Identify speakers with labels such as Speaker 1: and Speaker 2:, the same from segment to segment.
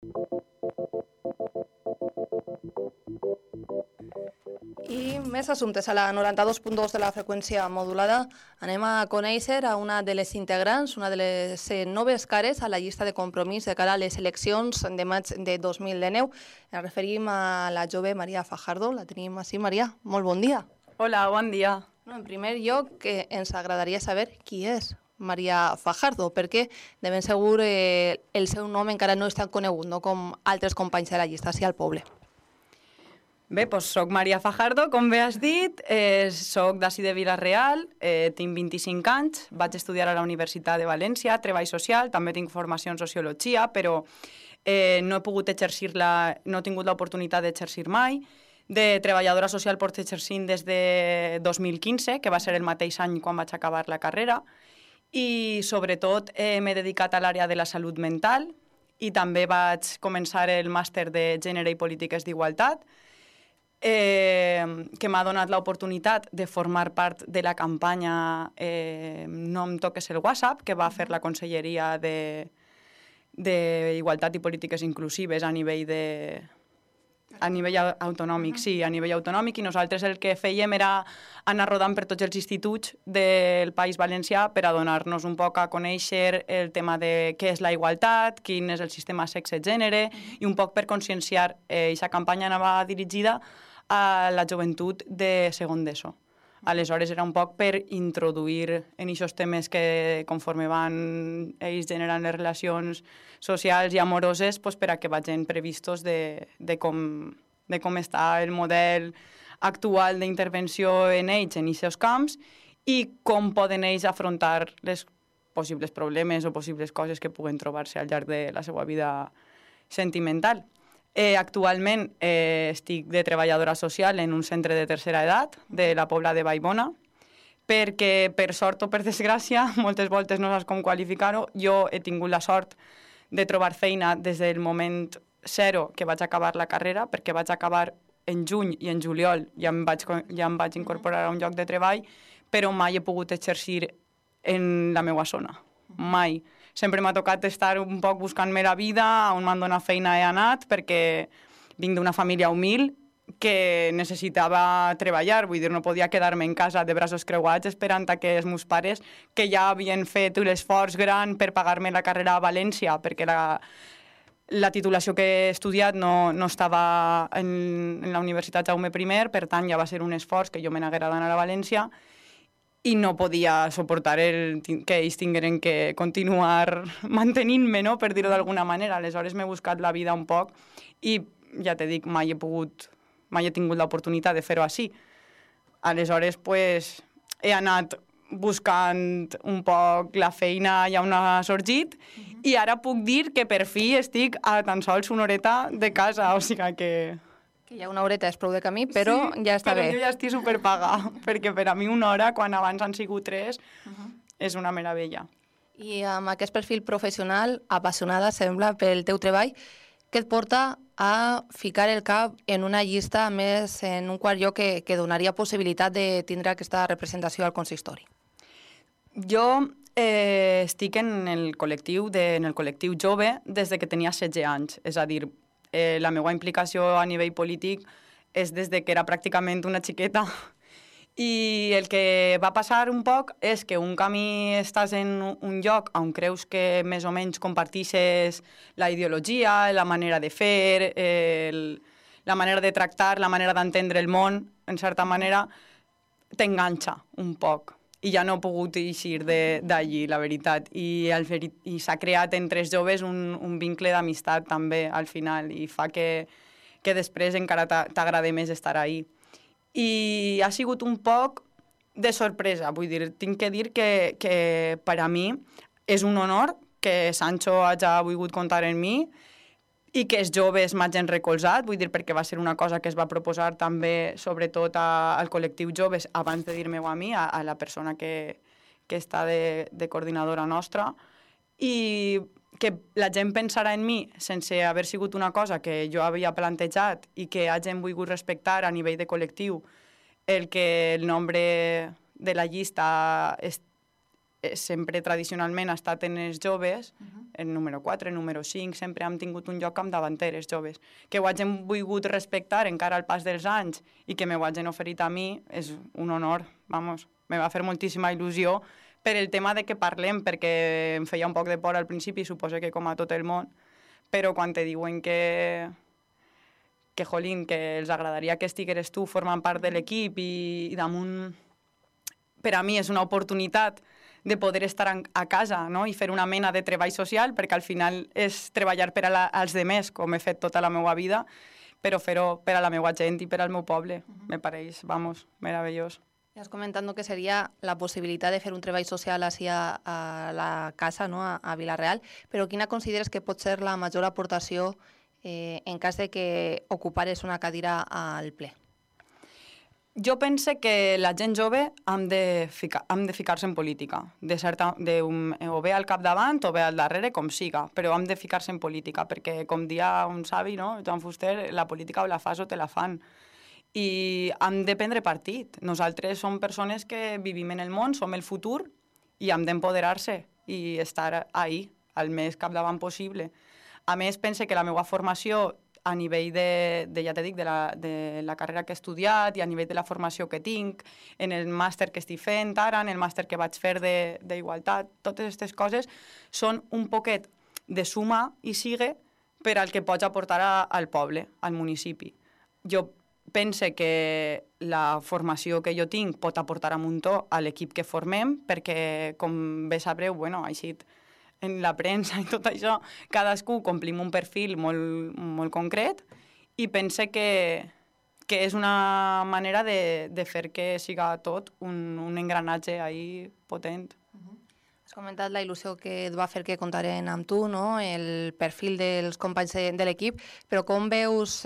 Speaker 1: I més assumptes. A la 92.2 de la freqüència modulada anem a conèixer a una de les integrants, una de les noves cares a la llista de compromís de cara a les eleccions de maig de 2019. Ens referim a la jove Maria Fajardo. La tenim així. Maria, molt bon dia.
Speaker 2: Hola, bon dia.
Speaker 1: En primer lloc, ens agradaria saber qui és Maria Fajardo, perquè de ben segur el seu nom encara no és tan conegut, no com altres companys de la llista, sí al poble.
Speaker 2: Bé, doncs soc Maria Fajardo, com bé has dit, soc d'ací de Vila-real, tinc 25 anys, vaig estudiar a la Universitat de València, treball social, també tinc formació en sociologia, però no he pogut exercir-la, no he tingut l'oportunitat d'exercir mai. De treballadora social porto exercint des de 2015, que va ser el mateix any quan vaig acabar la carrera, i sobretot m'he dedicat a l'àrea de la salut mental i també vaig començar el màster de Gènere i Polítiques d'Igualtat, que m'ha donat l'oportunitat de formar part de la campanya No em toques el WhatsApp, que va fer la Conselleria d'Igualtat i Polítiques Inclusives a nivell autonòmic, sí, a nivell autonòmic, i nosaltres el que fèiem era anar rodant per tots els instituts del País Valencià per a donar-nos un poc a conèixer el tema de què és la igualtat, quin és el sistema sexe-gènere, i un poc per conscienciar. Aquesta campanya anava dirigida a la joventut de segon d'ESO. Aleshores era un poc per introduir en aquests temes que conforme van ells generant les relacions socials i amoroses, doncs per a que vagin previstos de com està el model actual d'intervenció en ells en aquests camps i com poden ells afrontar les possibles problemes o possibles coses que puguen trobar-se al llarg de la seva vida sentimental. Actualment estic de treballadora social en un centre de tercera edat de la Pobla de Vallbona, perquè per sort o per desgràcia, moltes voltes no saps com qualificar-ho, jo he tingut la sort de trobar feina des del moment zero que vaig acabar la carrera, perquè vaig acabar en juny i en juliol ja em vaig incorporar a un lloc de treball, però mai he pogut exercir en la meva zona, mai. Sempre m'ha tocat estar un poc buscant-me la vida, on m'han donat feina he anat, perquè vinc d'una família humil que necessitava treballar, vull dir, no podia quedar-me en casa de braços creuats esperant que els meus pares, que ja havien fet l'esforç gran per pagar-me la carrera a València, perquè la titulació que he estudiat no estava en la Universitat Jaume I, per tant ja va ser un esforç que jo me n'haguera d'anar a València, i no podia suportar que ells tingueren que continuar mantenint-me, no? Per dir-ho d'alguna manera. Aleshores m'he buscat la vida un poc i, ja t'he dit, mai he tingut l'oportunitat de fer-ho així. Aleshores, pues, he anat buscant un poc la feina ja on ha sorgit i ara puc dir que per fi estic a tan sols una horeta de casa, o sigui que
Speaker 1: hi ha una horeta, és prou de camí, però sí, ja està bé.
Speaker 2: Però jo ja estic superpaga, perquè per a mi una hora, quan abans han sigut 3, és una meravella.
Speaker 1: I amb aquest perfil professional, apassionada, sembla, pel teu treball, què et porta a ficar el cap en una llista, més en un quart lloc que donaria possibilitat de tindre aquesta representació al consistori?
Speaker 2: Jo estic en el col·lectiu jove des que tenia 16 anys, és a dir, la meva implicació a nivell polític és des que era pràcticament una xiqueta. I el que va passar un poc és que un camí estàs en un lloc on creus que més o menys compartixes la ideologia, la manera de fer, la manera de tractar, la manera d'entendre el món, en certa manera, t'enganxa un poc. I ja no he pogut eixir d'allí, la veritat. I s'ha creat entre els joves un vincle d'amistat també al final i fa que després encara t'agrada més estar ahí. I ha sigut un poc de sorpresa, vull dir, tinc que dir que per a mi és un honor que Sancho hagi volgut comptar en mi i que els joves m'hagin recolzat, vull dir, perquè va ser una cosa que es va proposar també, sobretot al col·lectiu joves, abans de dir-me-ho a mi, a la persona que està de coordinadora nostra, i que la gent pensarà en mi sense haver sigut una cosa que jo havia plantejat i que hagin volgut respectar a nivell de col·lectiu el que el nombre de la llista sempre tradicionalment ha estat en els joves, el número 4, el número 5, sempre hem tingut un lloc amb davanteres joves. Que ho hagin volgut respectar encara al pas dels anys i que m'ho hagin oferit a mi és un honor, vamos, me va fer moltíssima il·lusió per el tema de que parlem, perquè em feia un poc de por al principi, suposo que com a tot el món, però quan te diuen que jolín, que els agradaria que estigueres tu formant part de l'equip i damunt, per a mi és una oportunitat de poder estar a casa, no? I fer una mena de treball social, perquè al final és treballar per als demés, com he fet tota la meva vida, però fer-ho per a la meva gent i per al meu poble. Me pareix, vamos, meravellós.
Speaker 1: Has comentat que seria la possibilitat de fer un treball social així a la casa, no? a Vila-real, però quina consideres que pot ser la major aportació en cas de que ocupares una cadira al ple?
Speaker 2: Jo pense que la gent jove hem de ficar-se en política, o bé al capdavant o bé al darrere, com siga, però hem de ficar-se en política, perquè, com dia un savi, no? Joan Fuster, la política o la fas o te la fan. I hem de prendre partit. Nosaltres som persones que vivim en el món, som el futur, i hem d'empoderar-se i estar ahí, al més capdavant possible. A més, pense que la meva formació a nivell ja te dic, de la carrera que he estudiat i a nivell de la formació que tinc, en el màster que estic fent ara, en el màster que vaig fer d'igualtat, totes aquestes coses són un poquet de suma i sigue per al que pots aportar al poble, al municipi. Jo pense que la formació que jo tinc pot aportar a muntó a l'equip que formem, perquè, com bé sabreu, així en la premsa i tot això, cadascú complim un perfil molt, molt concret i pense que és una manera de fer que siga tot un engranatge ahí potent.
Speaker 1: Has comentat la il·lusió que et va fer que comptaren amb tu, no? El perfil dels companys de l'equip, però com veus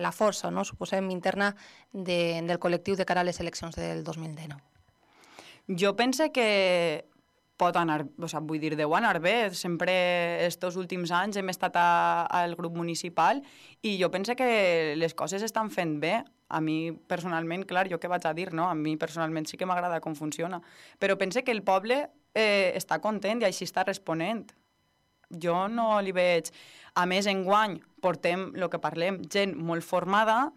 Speaker 1: la força, no? Suposem, interna del col·lectiu de cara a les eleccions del 2019?
Speaker 2: Jo pense que pot anar, deu anar bé. Sempre estos últims anys hem estat al grup municipal i jo penso que les coses estan fent bé. A mi, personalment, clar, jo què vaig a dir, no? A mi, personalment, sí que m'agrada com funciona. Però pense que el poble està content i així està responent. Jo no li veig... A més, enguany portem, el que parlem, gent molt formada,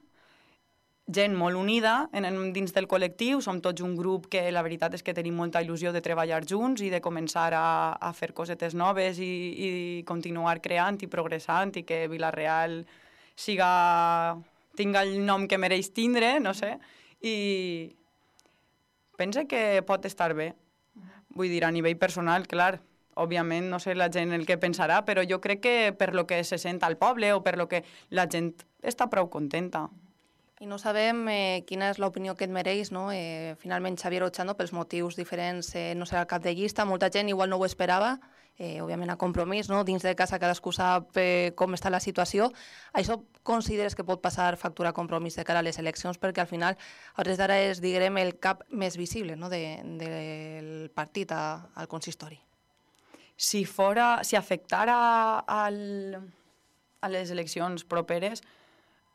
Speaker 2: gent molt unida dins del col·lectiu, som tots un grup que la veritat és que tenim molta il·lusió de treballar junts i de començar a fer cosetes noves i continuar creant i progressant i que Vila-real tinga el nom que mereix tindre, no sé, i pense que pot estar bé. Vull dir, a nivell personal, clar, òbviament no sé la gent el que pensarà, però jo crec que per lo que se sent al poble o per lo que la gent està prou contenta.
Speaker 1: I no sabem quina és l'opinió que et mereix, no? Finalment, Xavier Ochando, pels motius diferents, no serà el cap de llista. Molta gent igual no ho esperava, òbviament a Compromís, no? Dins de casa cadascú sap com està la situació. Això consideres que pot passar factura a Compromís de cara a les eleccions? Perquè al final, a hores d'ara és, diguem, el cap més visible, no? del partit al consistori.
Speaker 2: Si afectara a les eleccions properes,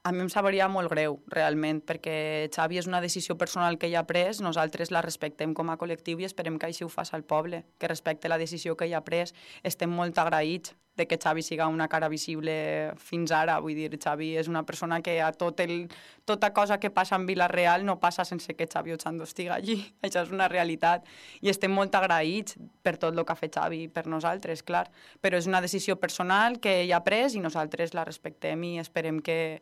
Speaker 2: a mi em sabria molt greu, realment, perquè Xavi és una decisió personal que ell ha pres, nosaltres la respectem com a col·lectiu i esperem que així ho faci el poble, que respecte la decisió que ell ha pres. Estem molt agraïts de que Xavi siga una cara visible fins ara. Vull dir, Xavi és una persona que a tota cosa que passa en Vila-real no passa sense que Xavi Ochando estigui allí. Això és una realitat. I estem molt agraïts per tot el que ha fet Xavi per nosaltres, clar. Però és una decisió personal que ell ha pres i nosaltres la respectem i esperem que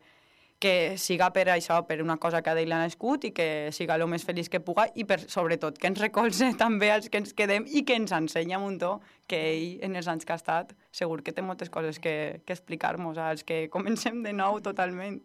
Speaker 2: siga per això, per una cosa que a ell l'ha nascut i que siga el més feliç que puga i sobretot que ens recolze també als que ens quedem i que ens ensenya un muntó que ell en els anys que ha estat segur que té moltes coses que explicar-nos als que comencem de nou totalment.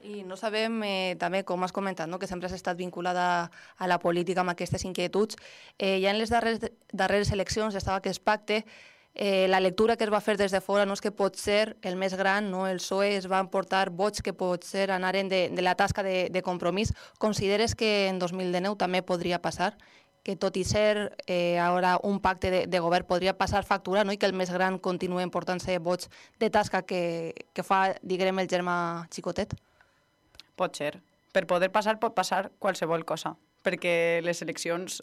Speaker 1: I no sabem també, com has comentat, no? Que sempre has estat vinculada a la política amb aquestes inquietuds. Ja en les darreres eleccions estava aquest pacte. La lectura que es va fer des de fora no és que pot ser el més gran, no? El PSOE es va portar vots que pot ser anaren de la tasca de Compromís. Consideres que en 2019 també podria passar? Que tot i ser ara un pacte de govern podria passar factura, no? I que el més gran continuï portant-se vots de tasca que fa, diguem, el germà xicotet?
Speaker 2: Pot ser. Per poder passar pot passar qualsevol cosa, perquè les eleccions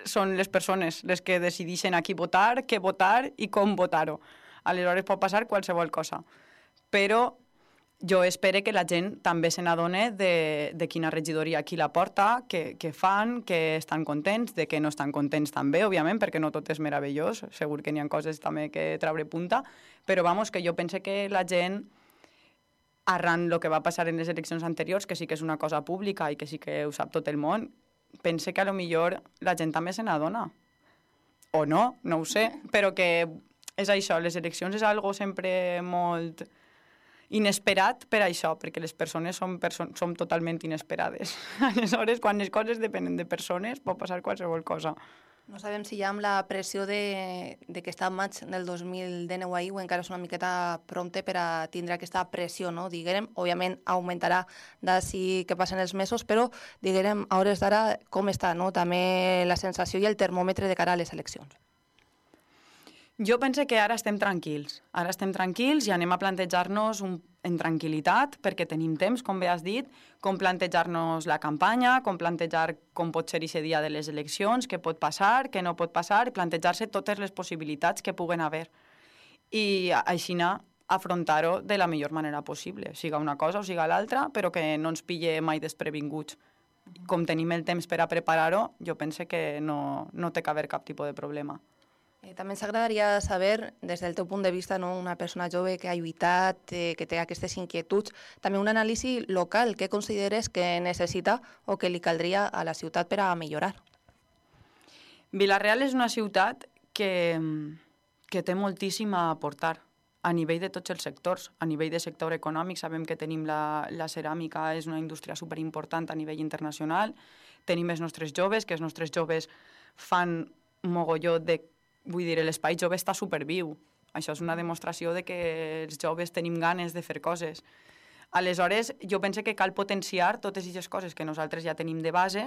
Speaker 2: són les persones les que decideixen a qui votar, què votar i com votar-ho. Aleshores pot passar qualsevol cosa. Però jo espero que la gent també se n'adone de quina regidoria qui la porta, què fan, que estan contents, de que no estan contents també, òbviament, perquè no tot és meravellós, segur que n'hi ha coses també que treure punta, però vamos, que jo pense que la gent, arran el que va passar en les eleccions anteriors, que sí que és una cosa pública i que sí que ho sap tot el món, pense que a lo millor la gent també se n'adona. O no, no ho sé, però que és això, les eleccions és algo sempre molt inesperat per això, perquè les persones som totalment inesperades. Aleshores, quan les coses depenen de persones, pot passar qualsevol cosa.
Speaker 1: No sabem si ja amb la pressió de que està en maig del 2019 ahir o encara és una miqueta prompte per a tindre aquesta pressió, no? Diguem, òbviament augmentarà d'ací que passen els mesos, però diguem, a hores d'ara com està, no? També la sensació i el termòmetre de cara a les eleccions.
Speaker 2: Jo penso que ara estem tranquils. Ara estem tranquils i anem a plantejar-nos en tranquil·litat, perquè tenim temps, com bé has dit, com plantejar-nos la campanya, com plantejar com pot ser aquest dia de les eleccions, què pot passar, què no pot passar, i plantejar-se totes les possibilitats que puguen haver. I així afrontar-ho de la millor manera possible, siga una cosa o siga l'altra, però que no ens pille mai desprevinguts. Com tenim el temps per a preparar-ho, jo penso que no té que haver cap tipus de problema.
Speaker 1: També ens agradaria saber, des del teu punt de vista, no, una persona jove que ha lluitat, que té aquestes inquietuds, també un anàlisi local, què consideres que necessita o que li caldria a la ciutat per a millorar?
Speaker 2: Vila-real és una ciutat que té moltíssim a aportar a nivell de tots els sectors. A nivell de sector econòmic sabem que tenim la ceràmica, és una indústria superimportant a nivell internacional, tenim els nostres joves, que els nostres joves fan mogolló de... Vull dir, l'espai jove està superviu. Això és una demostració de que els joves tenim ganes de fer coses. Aleshores, jo penso que cal potenciar totes aquestes coses que nosaltres ja tenim de base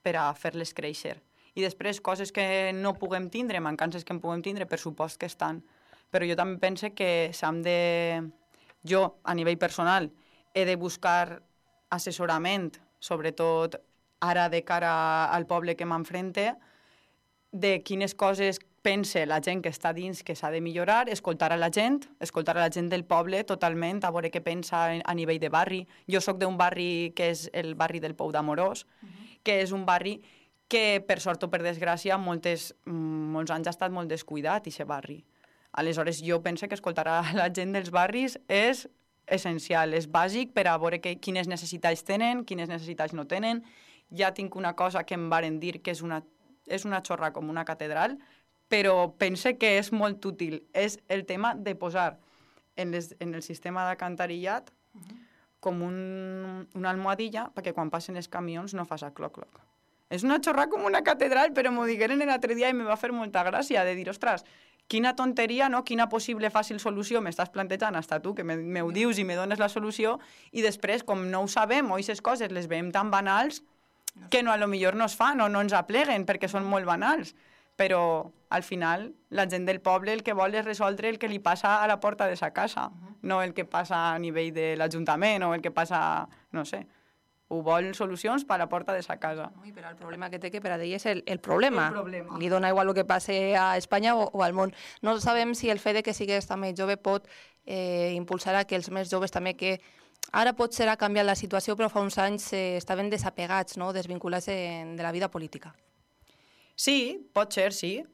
Speaker 2: per a fer-les créixer. I després, coses que no puguem tindre, mancances que en puguem tindre, per supost que estan. Però jo també penso que s'han de... Jo, a nivell personal, he de buscar assessorament, sobretot ara de cara al poble que m'enfrente, de quines coses pense la gent que està dins que s'ha de millorar, escoltar a la gent del poble totalment, a veure què pensa a nivell de barri. Jo sóc d'un barri que és el barri del Pou d'Amorós, que és un barri que, per sort o per desgràcia, molts anys ha estat molt descuidat, aquest barri. Aleshores, jo penso que escoltar a la gent dels barris és essencial, és bàsic per a veure quines necessitats tenen, quines necessitats no tenen. Ja tinc una cosa que em varen dir que és una xorra com una catedral, però pense que és molt útil. És el tema de posar en el sistema d'acantarillat com una almohadilla perquè quan passen els camions no fas a cloc-cloc. És una xorra com una catedral, però m'ho digueren l'altre dia i me va fer molta gràcia de dir, ostres, quina tonteria, no? Quina possible fàcil solució m'estàs plantejant hasta tu, que m'ho dius i me dones la solució, i després, com no ho sabem, o aquestes coses les veiem tan banals que no, a lo millor no es fan o no ens apleguen perquè són molt banals. Però al final la gent del poble el que vol és resoldre el que li passa a la porta de sa casa, no el que passa a nivell de l'Ajuntament o el que passa, no sé, ho vol solucions per a la porta de sa casa.
Speaker 1: I però el problema que té que per a ell és el problema. Li dona igual el que passe a Espanya o al món. No sabem si el fet de que sigues també jove pot impulsar a que els més joves també que ara potser ha canviat la situació, però fa uns anys estaven desapegats, no? Desvinculats de la vida política.
Speaker 2: Sí, pot ser, sí.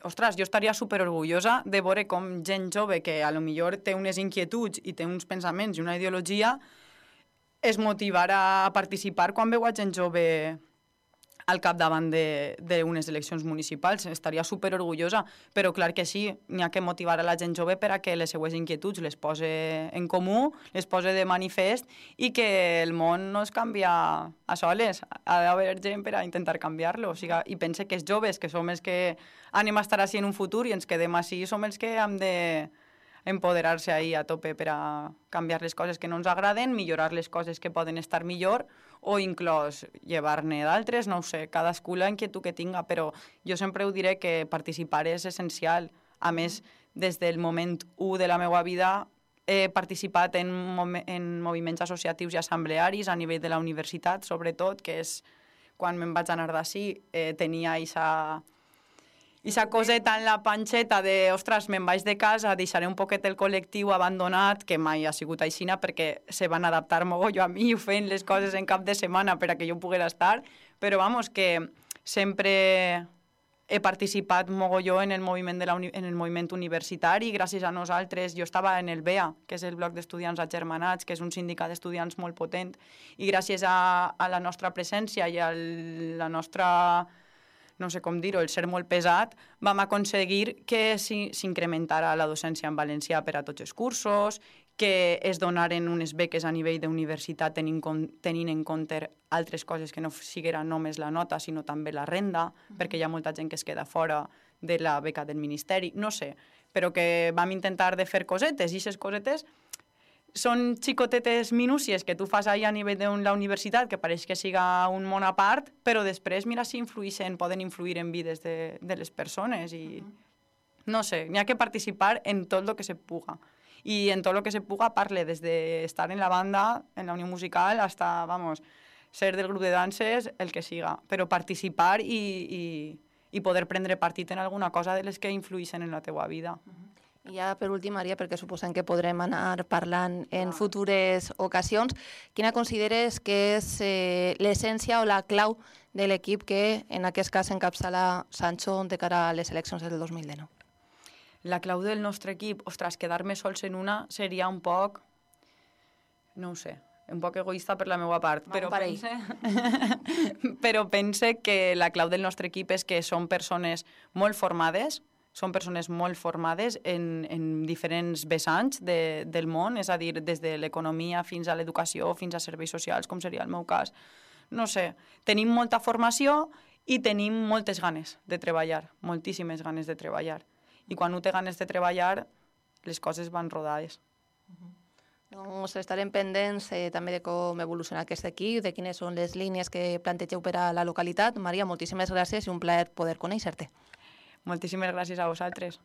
Speaker 2: Ostres, jo estaria superorgullosa de veure com gent jove que a lo millor té unes inquietuds i té uns pensaments i una ideologia es motivarà a participar quan veu a gent jove al capdavant d'unes eleccions municipals. Estaria superorgullosa, però clar que sí, n'hi ha que motivar a la gent jove per a que les seues inquietuds les posi en comú, les posi de manifest i que el món no es canvia a soles. Ha d'haver gent per a intentar canviar-lo. O sigui, i pense que els joves, que som els que anem a estar així en un futur i ens quedem així, som els que hem de empoderar-se ahí a tope per a canviar les coses que no ens agraden, millorar les coses que poden estar millor o inclús llevar-ne d'altres, no ho sé, cadascú la inquietud que tinga, però jo sempre ho diré que participar és essencial. A més, des del moment 1 de la meva vida he participat en moviments associatius i assemblearis a nivell de la universitat, sobretot, que és quan me'n vaig anar d'ací, tenia aquesta coseta en la panxeta de, ostres, me'n vaig de casa, deixaré un poquet el col·lectiu abandonat, que mai ha sigut aixina perquè se van adaptar mogolló a mi fent les coses en cap de setmana per a que jo poguera estar, però vamos, que sempre he participat mogolló en el moviment, en el moviment universitari. Gràcies a nosaltres, jo estava en el BEA, que és el Bloc d'Estudiants Agermanats, que és un sindicat d'estudiants molt potent, i gràcies a la nostra presència i a la nostra, no sé com dir-ho, el ser molt pesat, vam aconseguir que s'incrementara la docència en valencià per a tots els cursos, que es donaren unes beques a nivell d'universitat tenint en compte altres coses que no siguera només la nota, sinó també la renda, perquè hi ha molta gent que es queda fora de la beca del Ministeri, no sé, però que vam intentar de fer cosetes, i aquestes cosetes són xicotetes minúcies que tu fas ahir a nivell de la universitat, que pareix que siga un món a part, però després mira si poden influir en vides de les persones i no sé, n'hi ha que participar en tot el que se puga. I en tot el que se puga parle des d'estar en la banda, en la unió musical, hasta, vamos, ser del grup de danses, el que siga. Però participar i poder prendre partit en alguna cosa de les que influïssin en la teua vida.
Speaker 1: I ja per últim, Maria, perquè suposem que podrem anar parlant en futures ocasions, quina consideres que és l'essència o la clau de l'equip que en aquest cas encapçala Sancho de cara a les eleccions del 2019?
Speaker 2: La clau del nostre equip, ostres, quedar-me sols en una seria un poc, no ho sé, un poc egoista per la meva part, però pense que la clau del nostre equip és que són persones molt formades, en diferents vessants del món, és a dir, des de l'economia fins a l'educació, fins a serveis socials, com seria el meu cas. No sé, tenim molta formació i tenim moltes ganes de treballar, moltíssimes ganes de treballar. I quan un té ganes de treballar, les coses van rodades.
Speaker 1: Doncs estarem pendents també de com evoluciona aquest equip, de quines són les línies que plantegeu per a la localitat. Maria, moltíssimes gràcies i un plaer poder conèixer-te.
Speaker 2: Moltíssimes gràcies a vosaltres.